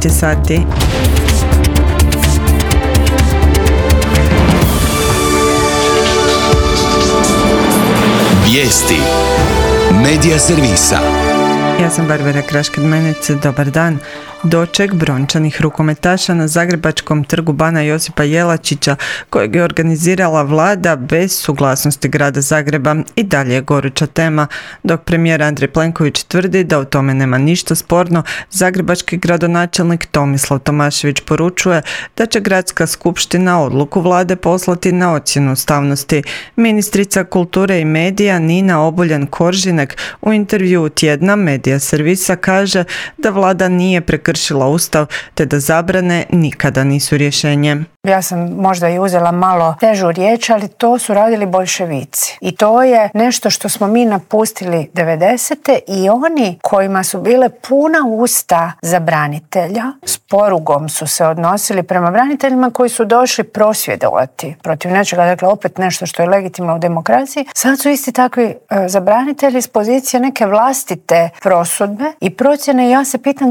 12 je sati. Vijesti Medija servisa. Ja sam Barbara Kraškad-Menec, dobar dan. Doček brončanih rukometaša na zagrebačkom trgu Bana Josipa Jelačića, kojeg je organizirala vlada bez suglasnosti grada Zagreba, i dalje je goruća tema. Dok premijer Andrej Plenković tvrdi da u tome nema ništa sporno, zagrebački gradonačelnik Tomislav Tomašević poručuje da će gradska skupština odluku vlade poslati na ocjenu ustavnosti. Ministrica kulture i medija Nina Obuljen-Koržinek u intervjuu tjedna Medija servisa kaže da vlada nije prekršila Ustav, te da zabrane nikada nisu rješenje. Ja sam možda i uzela malo težu riječ, ali to su radili boljševici. I to je nešto što smo mi napustili 90. i oni kojima su bile puna usta za branitelja, s porugom su se odnosili prema braniteljima koji su došli prosvjedovati protiv nečega, dakle opet nešto što je legitimno u demokraciji. Sad su isti takvi za branitelji s pozicije neke vlastite prosudbe i procjene. Ja se pitam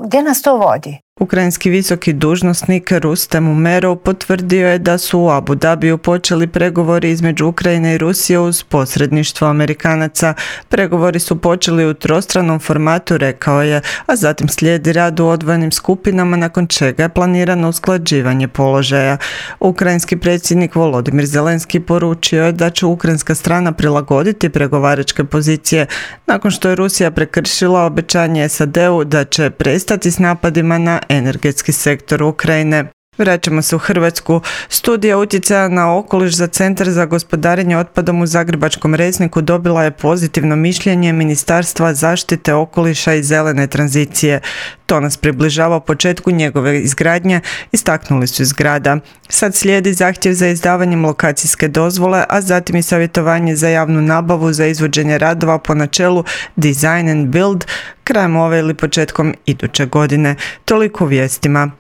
gdje nas to vodi. Ukrajinski visoki dužnosnik Rustem Umerov potvrdio je da su u Abu Dhabiju počeli pregovori između Ukrajine i Rusije uz posredništvo Amerikanaca. Pregovori su počeli u trostranom formatu, rekao je, a zatim slijedi rad u odvojenim skupinama, nakon čega je planirano usklađivanje položaja. Ukrajinski predsjednik Volodimir Zelenski poručio je da će ukrajinska strana prilagoditi pregovaračke pozicije nakon što je Rusija prekršila obećanje SAD-u da će prestati s napadima na energetski sektor Ukrajine. Vraćamo se u Hrvatsku. Studija utjecaja na okoliš za Centar za gospodarenje otpadom u Zagrebačkom Resniku dobila je pozitivno mišljenje Ministarstva zaštite okoliša i zelene tranzicije. To nas približava početku njegove izgradnje, istaknuli su iz grada. Sad slijedi zahtjev za izdavanjem lokacijske dozvole, a zatim i savjetovanje za javnu nabavu za izvođenje radova po načelu Design and Build krajem ove ili početkom iduće godine. Toliko u vijestima.